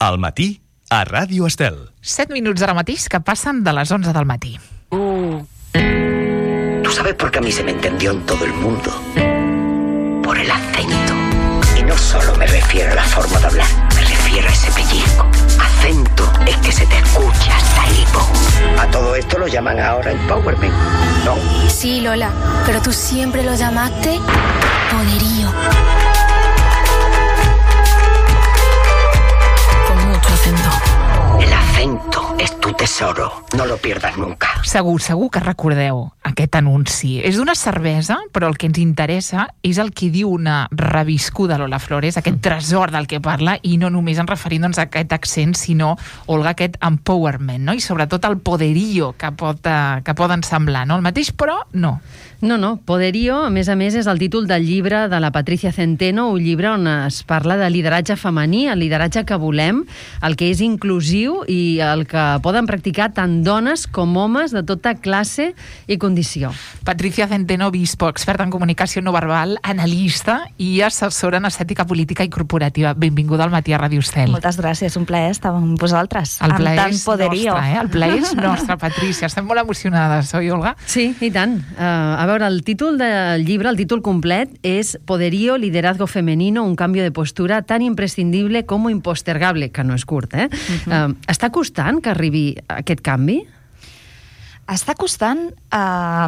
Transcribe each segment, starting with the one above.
Al matí, a Ràdio Estel. 7 minuts ara mateix que passen de les 11 del matí. ¿Tú sabes por qué a mí se me entendió en todo el mundo? Por el acento. Y no solo me refiero a la forma de hablar, me refiero a ese pellizco. Acento es que se te escucha hasta el hipo. A todo esto lo llaman ahora empowerment, ¿no? Sí, Lola, pero tú siempre lo llamaste poderío. Con mucho acento. El acento es tu tesoro, no lo pierdas nunca. Segur que recordeu aquest anunci. És d'una cervesa, però el que ens interessa és el que diu una reviscuda Lola Flores, aquest tresor del que parla, i no només en referint-nos a aquest accent, sinó, Olga, aquest empowerment, no? I sobretot el poderío que poden semblar, no? El mateix, però no. No, Poderío, a més, és el títol del llibre de la Patricia Centeno, un llibre on es parla de lideratge femení, el lideratge que volem, el que és inclusiu i el que poden practicar tant dones com homes de tota classe i condició. Patricia Centeno Bispo, experta en comunicació no verbal, analista i assessora en estètica política i corporativa. Benvinguda al matí a Ràdio Estel. Moltes gràcies, un plaer estar amb vosaltres. El plaer amb tant és poderío. nostre, El plaer és nostre, Patricia. Estem molt emocionades, oi, Olga? Sí, i tant. A veure, el títol del llibre, el títol complet, és Poderío, liderazgo femenino, un cambio de postura tan imprescindible como impostergable, que no és curt, Està costant que arribi aquest canvi? Està costant,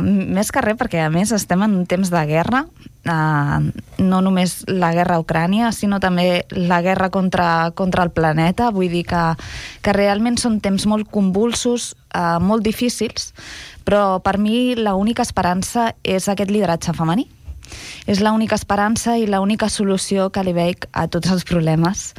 més que res, perquè a més estem en un temps de guerra, no només la guerra a Ucrània, sinó també la guerra contra el planeta. Vull dir que realment són temps molt convulsos, molt difícils, però per mi l'única esperança és aquest lideratge femení. És l'única esperança i l'única solució que li veig a tots els problemes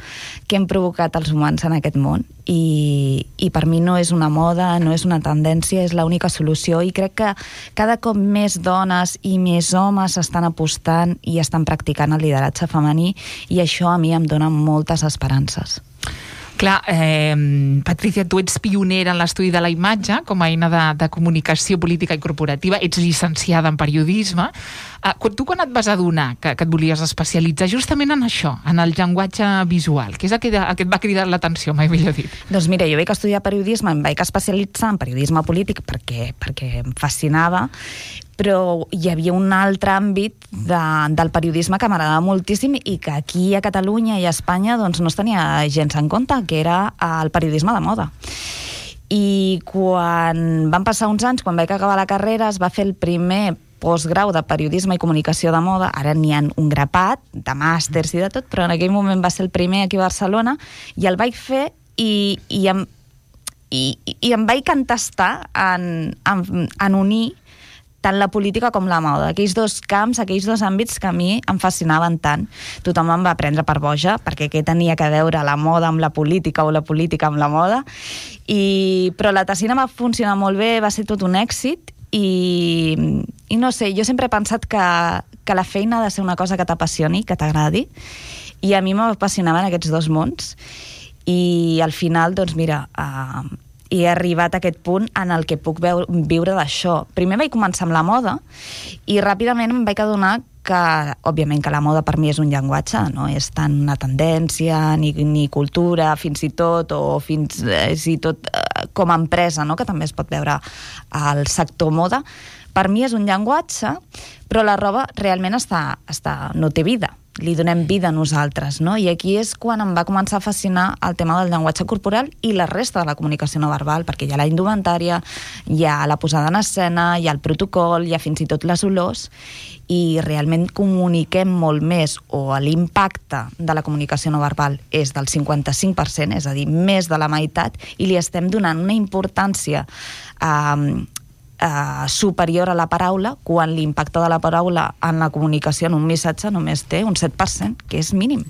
que hem provocat els humans en aquest món. I per mi no és una moda, no és una tendència, és l'única solució, i crec que cada cop més dones i més homes estan apostant i estan practicant el lideratge femení, i això a mi em dona moltes esperances. Clar, Patricia, tu ets pionera en l'estudi de la imatge com a eina de comunicació política i corporativa, ets llicenciada en periodisme. Tu quan et vas adonar que et volies especialitzar justament en això, en el llenguatge visual, que és el que et va cridar l'atenció, mai millor dit? Doncs mira, jo vaig estudiar periodisme, em vaig especialitzar en periodisme polític perquè em fascinava, però hi havia un altre àmbit del periodisme que m'agradava moltíssim i que aquí a Catalunya i a Espanya doncs, no es tenia gens en compte, que era el periodisme de moda. I quan van passar uns anys, quan vaig acabar la carrera, es va fer el primer postgrau de periodisme i comunicació de moda. Ara n'hi ha un grapat de màsters i de tot, però en aquell moment va ser el primer aquí a Barcelona, i el vaig fer i em vaig entestar en unir tant la política com la moda, aquells dos camps, aquells dos àmbits que a mi em fascinaven tant. Tothom em va prendre per boja, perquè què tenia que veure la moda amb la política o la política amb la moda, però la tesina va funcionar molt bé, va ser tot un èxit, i no sé, jo sempre he pensat que la feina ha de ser una cosa que t'apassioni, que t'agradi, i a mi m'apassionaven aquests dos mons, i al final, doncs mira, he arribat a aquest punt en el que puc viure d'això. Primer vaig començar amb la moda i ràpidament em vaig adonar que, òbviament, que la moda per mi és un llenguatge, no és tant una tendència ni cultura, fins i tot com a empresa, no? Que també es pot veure al sector moda. Per mi és un llenguatge, però la roba realment no té vida. Li donem vida a nosaltres, no? I aquí és quan em va començar a fascinar el tema del llenguatge corporal i la resta de la comunicació no verbal, perquè hi ha la indumentària, hi ha la posada en escena, hi ha el protocol, hi ha fins i tot les olors, i realment comuniquem molt més, o l'impacte de la comunicació no verbal és del 55%, és a dir, més de la meitat, i li estem donant una importància superior a la paraula, quan l'impacte de la paraula en la comunicació en un missatge només té un 7%, que és mínim.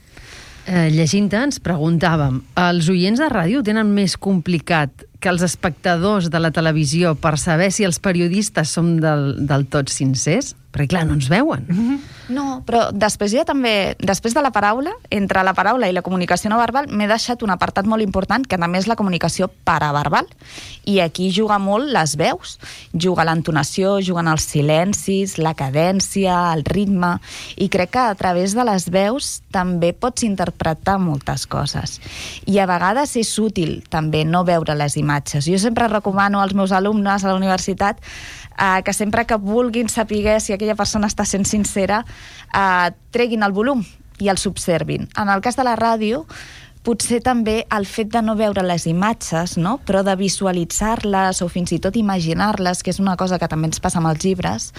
Llegint-te ens preguntàvem, els oients de ràdio tenen més complicat que els espectadors de la televisió per saber si els periodistes som del tot sincers? Perquè, clar, no ens veuen. No, però després hi ha també, després de la paraula, entre la paraula i la comunicació no verbal, m'he deixat un apartat molt important, que també és la comunicació paraverbal. I aquí juga molt les veus. Juga l'entonació, juguen els silencis, la cadència, el ritme, i crec que a través de les veus també pots interpretar moltes coses. I a vegades és útil també no veure les imatges. Jo sempre recomano als meus alumnes a la universitat que sempre que vulguin saber si aquella persona està sent sincera, treguin el volum i els observin. En el cas de la ràdio, potser també el fet de no veure les imatges, no? Però de visualitzar-les o fins i tot imaginar-les, que és una cosa que també ens passa amb els llibres,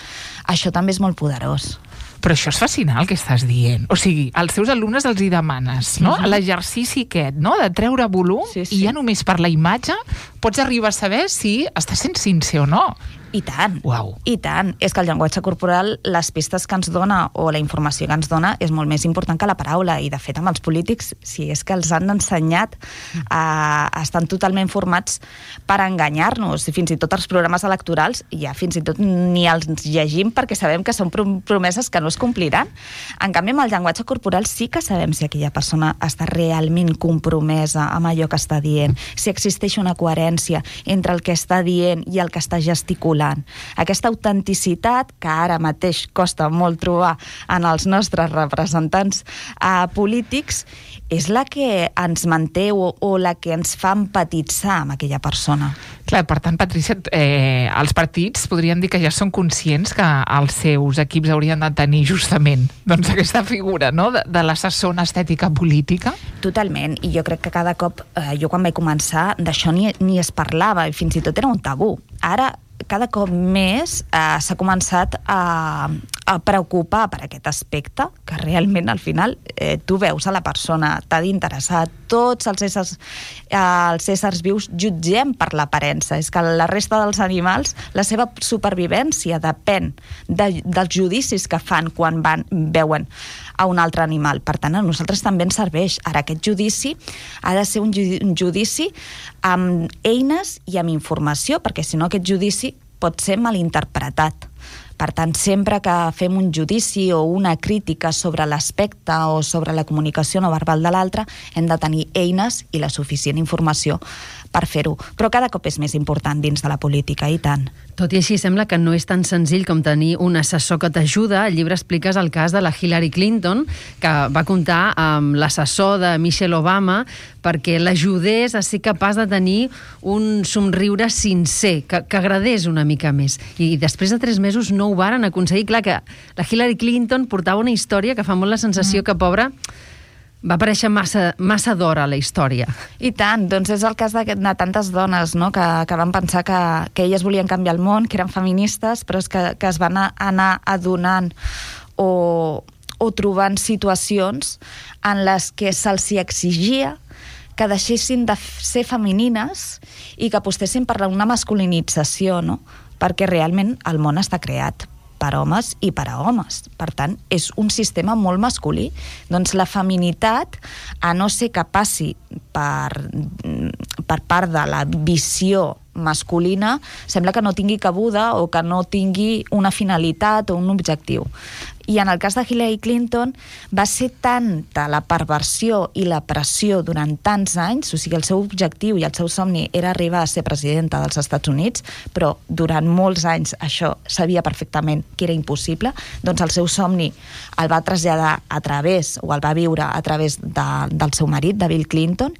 això també és molt poderós. Però això és fascinant, el que estàs dient. O sigui, als teus alumnes els hi demanes, no? L'exercici aquest, no? De treure volum, sí. I ja només per la imatge pots arribar a saber si està sent sincer o no. I tant, Uau. I tant. És que el llenguatge corporal, les pistes que ens dona o la informació que ens dona és molt més important que la paraula. I, de fet, amb els polítics, si és que els han ensenyat, estan totalment formats per enganyar-nos. Fins i tot els programes electorals, ja fins i tot ni els llegim perquè sabem que són promeses que no es compliran. En canvi, amb el llenguatge corporal sí que sabem si aquella persona està realment compromesa amb allò que està dient, si existeix una coherència entre el que està dient i el que està gesticulant. Aquesta autenticitat, que ara mateix costa molt trobar en els nostres representants polítics, és la que ens manté o la que ens fa empatitzar amb aquella persona. Clar, per tant, Patrícia, els partits podríem dir que ja són conscients que els seus equips haurien de tenir justament doncs, aquesta figura, no?, de l'assessor en estètica política. Totalment, i jo crec que cada cop, jo quan vaig començar, d'això ni es parlava, i fins i tot era un tabú. Ara, cada cop més s'ha començat a preocupar per aquest aspecte, que realment al final tu veus a la persona, t'ha d'interessar. Tots els éssers vius jutgem per l'aparença. És que la resta dels animals, la seva supervivència depèn dels judicis que fan quan veuen a un altre animal. Per tant, a nosaltres també ens serveix. Ara, aquest judici ha de ser un judici amb eines i amb informació, perquè si no aquest judici pot ser malinterpretat. Per tant, sempre que fem un judici o una crítica sobre l'aspecte o sobre la comunicació no verbal de l'altre, hem de tenir eines i la suficient informació per fer-ho. Però cada cop és més important dins de la política, i tant. Tot i així, sembla que no és tan senzill com tenir un assessor que t'ajuda. Al llibre expliques el cas de la Hillary Clinton, que va comptar amb l'assessor de Michelle Obama perquè l'ajudés a ser capaç de tenir un somriure sincer, que agradés una mica més. I després de 3 mesos no ho varen aconseguir. Clar que la Hillary Clinton portava una història que fa molt la sensació que, pobra, va aparèixer massa d'hora a la història. I tant, doncs és el cas de tantes dones, no?, que van pensar que elles volien canviar el món, que eren feministes, però és que es van anar adonant o trobant situacions en les que se'ls exigia que deixessin de ser femenines i que apostessin per una masculinització, no?, perquè realment el món està creat per homes i per a homes. Per tant, és un sistema molt masculí. Doncs la feminitat, a no ser que passi per part de la visió masculina, sembla que no tingui cabuda o que no tingui una finalitat o un objectiu. I en el cas de Hillary Clinton va ser tanta la perversió i la pressió durant tants anys, o sigui, el seu objectiu i el seu somni era arribar a ser presidenta dels Estats Units, però durant molts anys això sabia perfectament que era impossible, doncs el seu somni el va traslladar a través, o el va viure a través del seu marit, de Bill Clinton,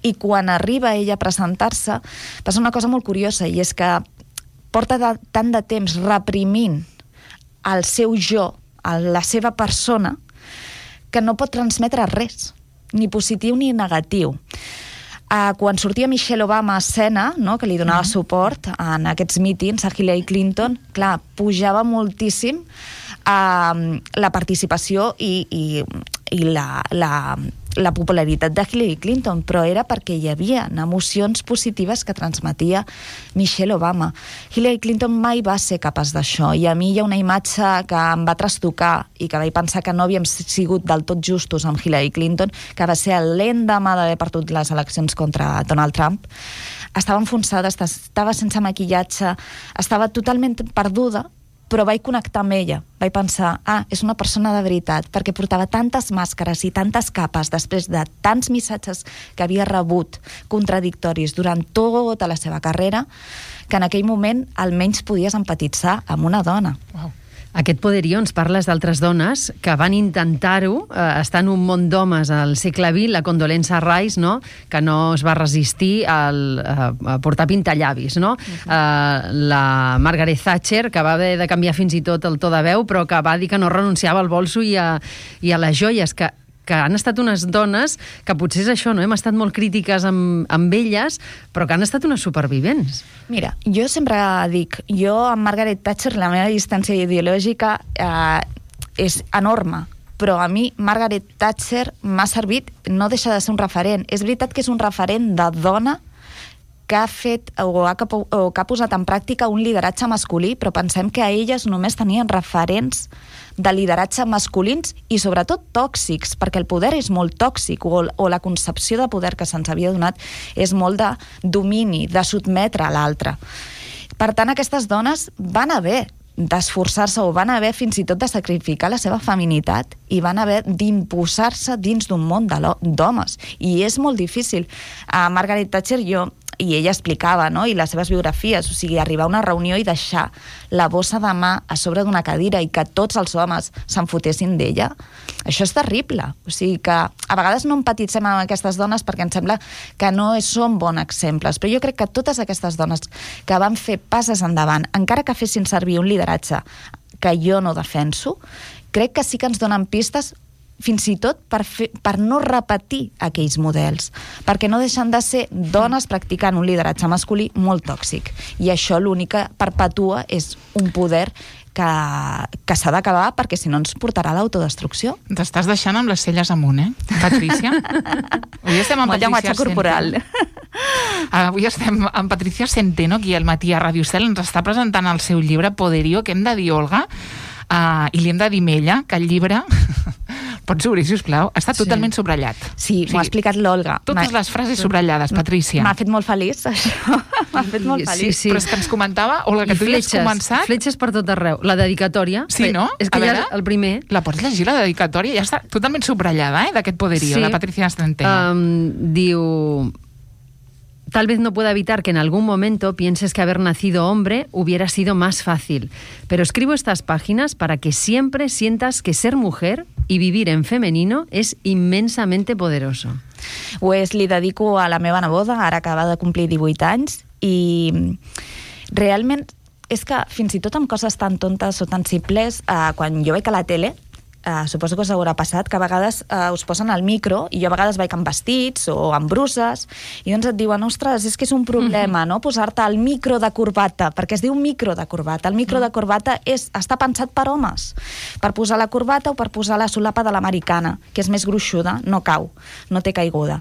i quan arriba ella a presentar-se, passa una cosa molt curiosa, i és que porta tant de temps reprimint el seu jo, la seva persona, que no pot transmetre res, ni positiu ni negatiu. Quan sortia Michelle Obama a escena, no?, que li donava suport en aquests mítings a Hillary Clinton, clar, pujava moltíssim la participació i la popularitat de Hillary Clinton, però era perquè hi havia emocions positives que transmetia Michelle Obama. Hillary Clinton mai va ser capaç d'això, i a mi hi ha una imatge que em va trastocar i que vaig pensar que no havíem sigut del tot justos amb Hillary Clinton, que va ser l'endemà d'haver perdut les eleccions contra Donald Trump. Estava enfonsada, estava sense maquillatge, estava totalment perduda, però vaig connectar amb ella. Vaig pensar, és una persona de veritat, perquè portava tantes màscares i tantes capes després de tants missatges que havia rebut contradictoris durant tota la seva carrera, que en aquell moment almenys podies empatitzar amb una dona. Wow. Aquest poderío ens parles d'altres dones que van intentar-ho, estar en un món d'homes al segle XX, la Condolenza Rice, no? Que no es va resistir a portar pintallavis, no? La Margaret Thatcher, que va haver de canviar fins i tot el to de veu, però que va dir que no renunciava al bolso i a les joies, que han estat unes dones que potser és això, no? Hem estat molt crítiques amb elles, però que han estat unes supervivents. Mira, jo sempre dic, jo amb Margaret Thatcher la meva distància ideològica és enorme, però a mi Margaret Thatcher m'ha servit, no deixa de ser un referent. És veritat que és un referent de dona que ha fet o que ha posat en pràctica un lideratge masculí, però pensem que a elles només tenien referents de lideratge masculins i sobretot tòxics, perquè el poder és molt tòxic, o la concepció de poder que se'ns havia donat és molt de domini, de sotmetre a l'altre. Per tant, aquestes dones van haver d'esforçar-se o van haver fins i tot de sacrificar la seva feminitat i van haver d'imposar-se dins d'un món d'homes. I és molt difícil. A Margaret Thatcher i ella explicava, no?, i les seves biografies, o sigui, arribar a una reunió i deixar la bossa de mà a sobre d'una cadira i que tots els homes se'n fotessin d'ella, això és terrible. O sigui que a vegades no empatitzem amb aquestes dones perquè ens sembla que no són bons exemples, però jo crec que totes aquestes dones que van fer passes endavant, encara que fessin servir un lideratge que jo no defenso, crec que sí que ens donen pistes fins i tot per no repetir aquells models, perquè no deixen de ser dones practicant un lideratge masculí molt tòxic, i això l'únic que perpetua és un poder que s'ha d'acabar, perquè si no ens portarà a l'autodestrucció. T'estàs deixant amb les celles amunt, Patricia? Avui estem amb Patricia corporal. Avui estem amb Patricia Centeno, aquí al Matí a Ràdio Estel. Ens està presentant el seu llibre Poderío, que hem de dir Olga, i li hem de dir Mella, que el llibre... Pots obrir, sisplau? Està totalment subratllat. Sí, m'ho ha explicat l'Olga. Totes les frases subratllades, Patricia. M'ha fet molt feliç, això. M'ha fet molt feliç. Sí. Però és que ens comentava, Olga, que tu ja has començat... Fletxes per tot arreu. La dedicatòria... Sí, no? És que ja el primer... La pots llegir, la dedicatòria? Ja està totalment subratllada, d'aquest poderío, la Patricia Centeno. Diu... Tal vez no pueda evitar que en algún momento pienses que haber nacido hombre hubiera sido más fácil, pero escribo estas páginas para que siempre sientas que ser mujer y vivir en femenino es inmensamente poderoso. Pues li dedico a la meva neboda, ara acaba de complir 18 anys, i realment és que fins i tot amb coses tan tontes o tan simples, quan jo veig a la tele, suposo que us haurà passat, que a vegades us posen al micro, i jo a vegades vaig amb vestits o amb bruses, i doncs et diuen, ostres, és que és un problema, no?, posar-te el micro de corbata, perquè es diu micro de corbata. El micro de corbata està pensat per homes, per posar la corbata o per posar la solapa de l'americana, que és més gruixuda, no cau, no té caiguda.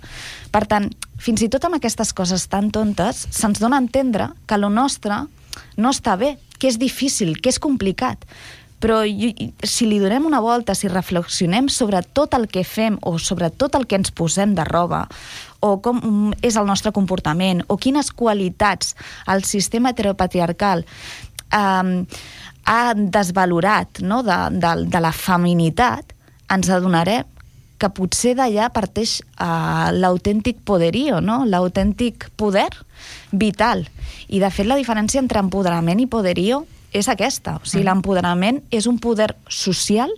Per tant, fins i tot amb aquestes coses tan tontes, se'ns dona a entendre que lo nostre no està bé, que és difícil, que és complicat. Però si li donem una volta, si reflexionem sobre tot el que fem o sobre tot el que ens posem de roba, o com és el nostre comportament, o quines qualitats el sistema heteropatriarcal ha desvalorat, no?, de la feminitat, ens adonarem que potser d'allà parteix l'autèntic poderío, no?, l'autèntic poder vital. I de fet la diferència entre empoderament i poderío és aquesta. O sigui, l'empoderament és un poder social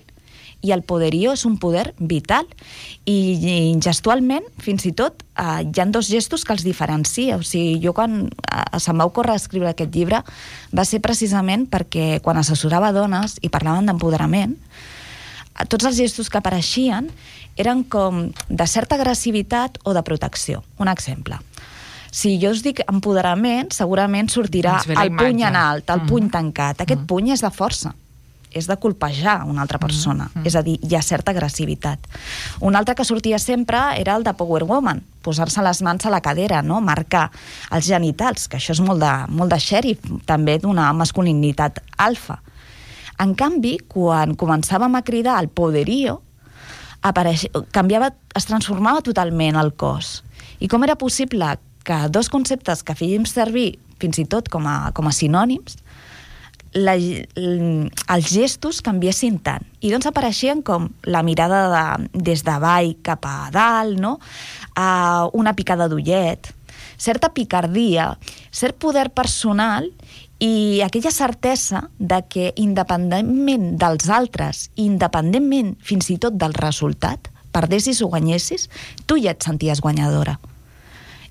i el poderío és un poder vital. I gestualment, fins i tot, hi ha dos gestos que els diferencia. O sigui, jo quan se'm va ocórrer escriure aquest llibre va ser precisament perquè quan assessorava dones i parlaven d'empoderament, tots els gestos que apareixien eren com de certa agressivitat o de protecció. Un exemple. Si jo us dic empoderament, segurament sortirà el puny en alt, el puny tancat. Aquest puny és de força, és de colpejar una altra persona. És a dir, hi ha certa agressivitat. Un altre que sortia sempre era el de Power Woman, posar-se les mans a la cadera, no?, marcar els genitals, que això és molt de xèrif, també d'una masculinitat alfa. En canvi, quan començàvem a cridar el poderío, es transformava totalment el cos. I com era possible que dos conceptes que fèiem servir fins i tot com a sinònims, els gestos canviessin tant. I doncs apareixien com la mirada des de baix cap a dalt, no? Una picada d'ullet, certa picardia, cert poder personal i aquella certesa de que independentment dels altres, independentment fins i tot del resultat, perdessis o guanyessis, tu ja et senties guanyadora.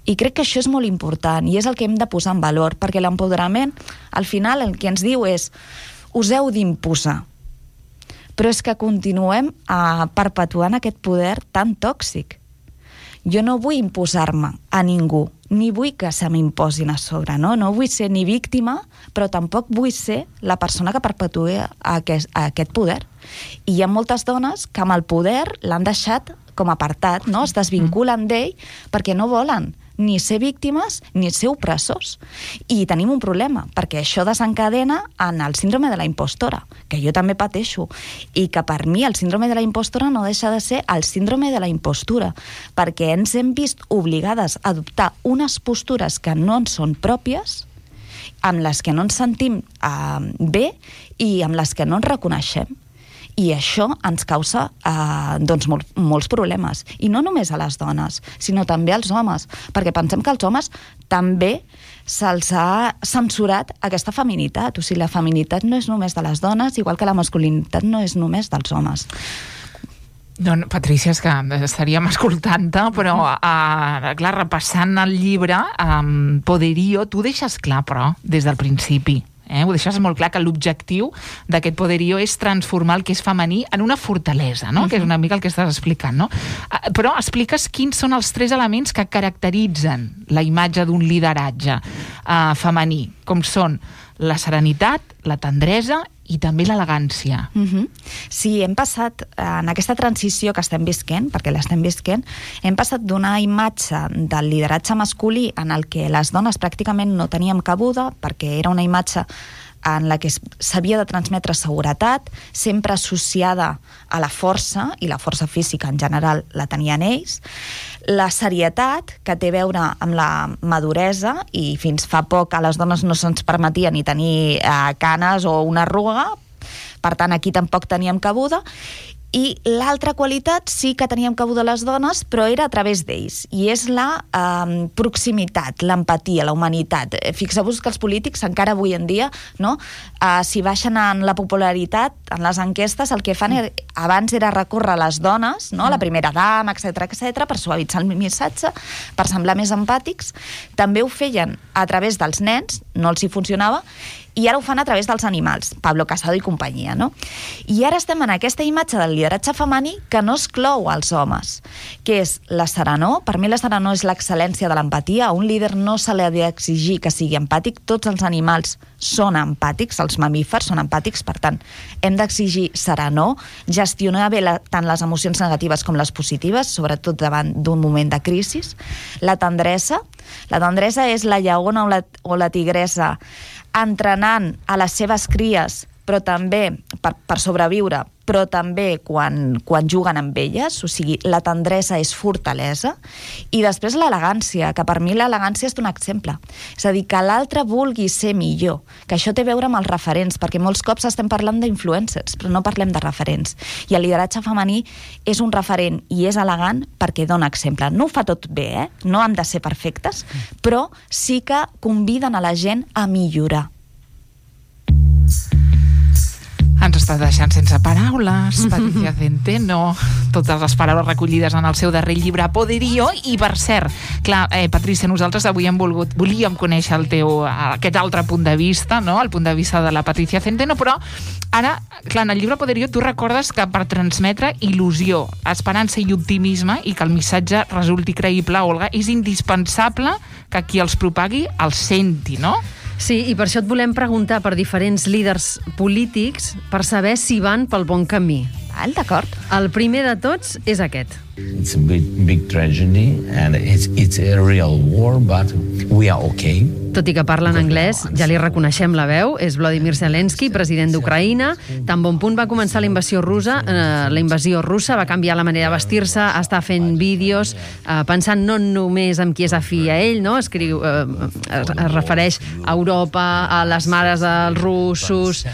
I crec que això és molt important i és el que hem de posar en valor, perquè l'empoderament, al final, el que ens diu és us heu d'imposar. Però és que continuem perpetuant aquest poder tan tòxic. Jo no vull imposar-me a ningú, ni vull que se m'imposin a sobre, no? No vull ser ni víctima, però tampoc vull ser la persona que perpetua aquest poder. I hi ha moltes dones que amb el poder l'han deixat com apartat, no? Es desvinculen d'ell perquè no volen ni ser víctimes ni ser opressors. I tenim un problema, perquè això desencadena en el síndrome de la impostora, que jo també pateixo, i que per mi el síndrome de la impostora no deixa de ser el síndrome de la impostura, perquè ens hem vist obligades a adoptar unes postures que no ens són pròpies, amb les que no ens sentim bé i amb les que no ens reconeixem. I això ens causa molts problemes. I no només a les dones, sinó també als homes, perquè pensem que als homes també se'ls ha censurat aquesta feminitat. O sigui, la feminitat no és només de les dones, igual que la masculinitat no és només dels homes. Doncs, Patrícia, és que estaríem escoltant-te, però, clar, repassant el llibre, Poderío, tu deixes clar, però, des del principi, ho deixes molt clar que l'objectiu d'aquest Poderío és transformar el que és femení en una fortalesa, no? Que és una mica el que estàs explicant, no? Però expliques quins són els 3 elements que caracteritzen la imatge d'un lideratge femení, com són la serenitat, la tendresa i també l'elegància. Sí, hem passat, en aquesta transició que estem visquent, perquè l'estem visquent, hem passat d'una imatge del lideratge masculí en el que les dones pràcticament no teníem cabuda, perquè era una imatge en la que s'havia de transmetre seguretat, sempre associada a la força, i la força física en general la tenien ells, la serietat, que té a veure amb la maduresa, i fins fa poc a les dones no se'ns permetia ni tenir canes o una arruga, per tant aquí tampoc teníem cabuda, i l'altra qualitat sí que teníem cabuda les dones, però era a través d'ells, i és la proximitat, l'empatia, la humanitat. Fixeu-vos que els polítics encara avui en dia, no, si baixen en la popularitat, en les enquestes, el que fan abans era recórrer a les dones, no, la primera dama, etc, per suavitzar el missatge, per semblar més empàtics. També ho feien a través dels nens, no els hi funcionava, i ara ho fan a través dels animals, Pablo Casado i companyia, no? I ara estem en aquesta imatge del lideratge femení que no exclou als homes, que és la serenor. Per mi la serenor és l'excel·lència de l'empatia. A un líder no se li ha d'exigir que sigui empàtic. Tots els animals són empàtics, els mamífers són empàtics, per tant, hem d'exigir serenor, gestionar bé tant les emocions negatives com les positives, sobretot davant d'un moment de crisi. La tendresa és la lleona o la tigresa entrenant a les seves cries, però també per sobreviure, però també quan juguen amb elles, o sigui, la tendresa és fortalesa, i després l'elegància, que per mi l'elegància és un exemple. És a dir, que l'altre vulgui ser millor, que això té a veure amb els referents, perquè molts cops estem parlant d'influencers, però no parlem de referents. I el lideratge femení és un referent i és elegant perquè dona exemple. No ho fa tot bé, no han de ser perfectes, però sí que conviden a la gent a millorar. Ens està deixant sense paraules, Patricia Centeno, totes les paraules recollides en el seu darrer llibre Poderío. I per cert, clar, Patricia, nosaltres avui volíem conèixer aquest altre punt de vista, no? El punt de vista de la Patricia Centeno, però ara, clar, en el llibre Poderío tu recordes que per transmetre il·lusió, esperança i optimisme, i que el missatge resulti creïble, Olga, és indispensable que qui els propagui els senti, no? Sí, i per això et volem preguntar per diferents líders polítics per saber si van pel bon camí. Val, d'acord. El primer de tots és aquest. It's a big tragedy and it's a real war, but we are okay. Tot i que parla en anglès, ja li reconeixem la veu, és Volodymyr Zelensky, president d'Ucraïna. Tan bon punt va començar la invasió russa, va canviar la manera de vestir-se, està fent vídeos, pensant no només en qui és afí a ell, no? Es refereix a Europa, a les mares dels russos.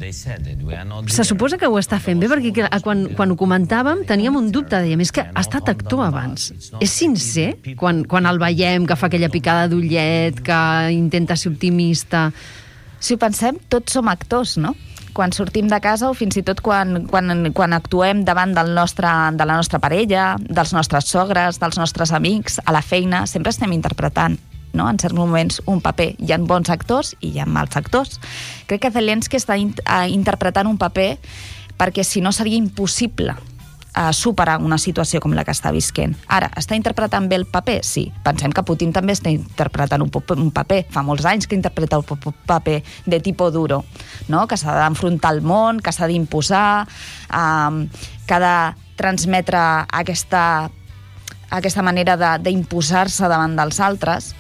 Se suposa que ho està fent bé, perquè quan ho comentàvem teníem un dubte, dèiem, és que ha estat actor abans. És sincer quan el veiem, que fa aquella picada d'ullet, que intenta ser optimista? Si ho pensem, tots som actors, no? Quan sortim de casa o fins i tot quan actuem davant de la nostra parella, dels nostres sogres, dels nostres amics, a la feina, sempre estem interpretant, no? En certs moments un paper. Hi ha bons actors i hi ha mals actors. Crec que Zelensky està interpretant un paper perquè si no seria impossible superar una situació com la que està visquent. Ara, està interpretant bé el paper? Sí. Pensem que Putin també està interpretant un paper. Fa molts anys que interpreta un paper de tipo duro, no? Que s'ha d'enfrontar al món, que s'ha d'imposar, que ha de transmetre aquesta manera d'imposar-se davant dels altres.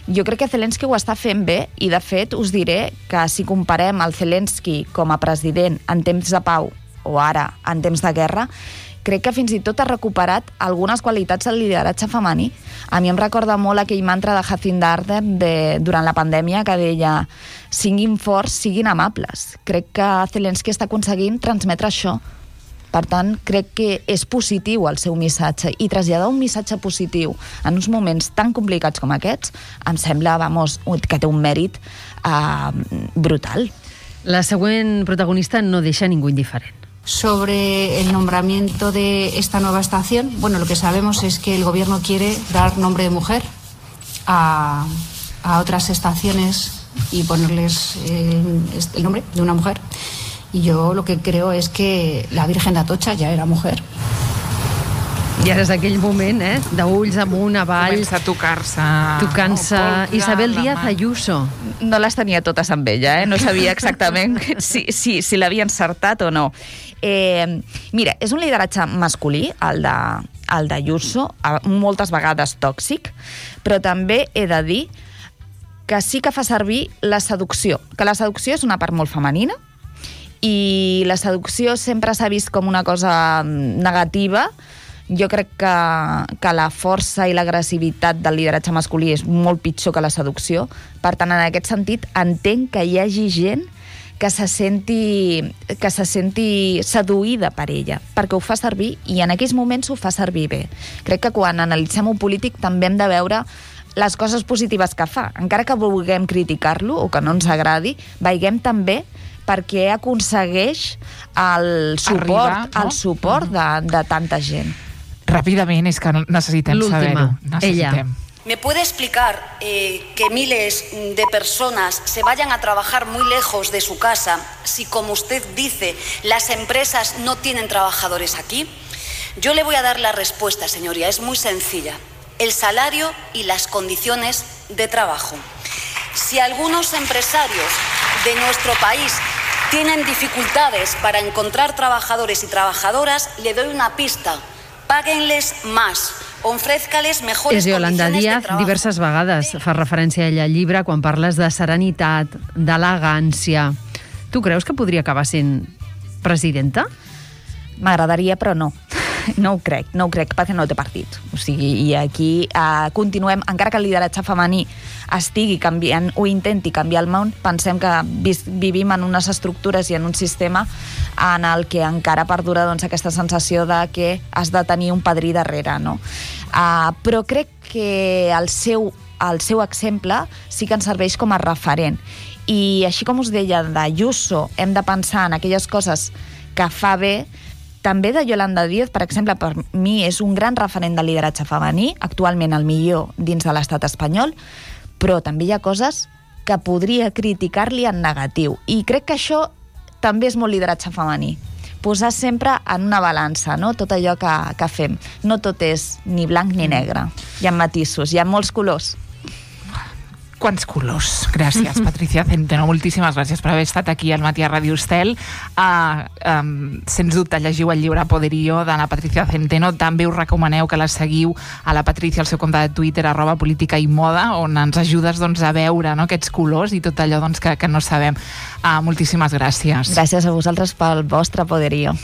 Jo crec que Zelensky ho està fent bé i, de fet, us diré que si comparem el Zelensky com a president en temps de pau o ara en temps de guerra, crec que fins i tot ha recuperat algunes qualitats del lideratge femení. A mi em recorda molt aquell mantra de Jacinda Ardern durant la pandèmia que deia siguin forts, siguin amables. Crec que Zelensky està aconseguint transmetre això. Per tant, crec que és positiu el seu missatge i traslladar un missatge positiu en uns moments tan complicats com aquests em sembla, que té un mèrit brutal. La següent protagonista no deixa ningú indiferent. Sobre el nombramiento de esta nueva estación, bueno, lo que sabemos es que el gobierno quiere dar nombre de mujer a otras estaciones y ponerles el nombre de una mujer. Y yo lo que creo es que la Virgen de Atocha ja era mujer. I ara és aquell moment, d'ulls amunt, avall... Comença a tocar-se... Tocant-se... Isabel Díaz Ayuso. No les tenia totes amb ella, no sabia exactament si l'havia encertat o no. Mira, és un lideratge masculí, el d'Ayuso, moltes vegades tòxic, però també he de dir que sí que fa servir la seducció, que la seducció és una part molt femenina, i la seducció sempre s'ha vist com una cosa negativa. Jo crec que la força i l'agressivitat del lideratge masculí és molt pitjor que la seducció. Per tant, en aquest sentit, entenc que hi hagi gent que se senti seduïda per ella, perquè ho fa servir, i en aquells moments ho fa servir bé. Crec que quan analitzem un polític també hem de veure les coses positives que fa. Encara que vulguem criticar-lo o que no ens agradi, veiem també perquè aconsegueix el suport de tanta gent. Ràpidament, és que necessitem saber-ho. Ella. ¿Me puede explicar que miles de personas se vayan a trabajar muy lejos de su casa si, como usted dice, las empresas no tienen trabajadores aquí? Yo le voy a dar la respuesta, señoría, es muy sencilla. El salario y las condiciones de trabajo. Si algunos empresarios de nuestro país tienen dificultades para encontrar trabajadores y trabajadoras, le doy una pista. Páguenles más, ofrézcales mejores condiciones de trabajo. És Yolanda Díaz, diverses vegades fa referència a ella al llibre quan parles de serenitat, d'elegància. Tu creus que podria acabar sent presidenta? M'agradaria, però no. No ho crec, perquè no té partit. O sigui, i aquí continuem, encara que el lideratge femení estigui canviant o intenti canviar el món, pensem que vivim en unes estructures i en un sistema en el que encara perdura aquesta sensació de que has de tenir un padrí darrere, no? Però crec que el seu exemple sí que ens serveix com a referent. I així com us deia d'Ayuso, hem de pensar en aquelles coses que fa bé. També de Yolanda Díaz, per exemple, per mi és un gran referent de lideratge femení, actualment el millor dins de l'estat espanyol, però també hi ha coses que podria criticar-li en negatiu. I crec que això també és molt lideratge femení. Posar sempre en una balança, no? Tot allò que fem. No tot és ni blanc ni negre. Hi ha matisos, hi ha molts colors. Quants colors. Gràcies, Patricia Centeno. Moltíssimes gràcies per haver estat aquí al Matí a Ràdio Estel. Sens dubte, llegiu el llibre Poderío de la Patricia Centeno. També us recomaneu que la seguiu a la Patricia al seu compte de Twitter, @política i moda, on ens ajudes a veure, no, aquests colors i tot allò que no sabem. Moltíssimes gràcies. Gràcies a vosaltres pel vostre Poderío.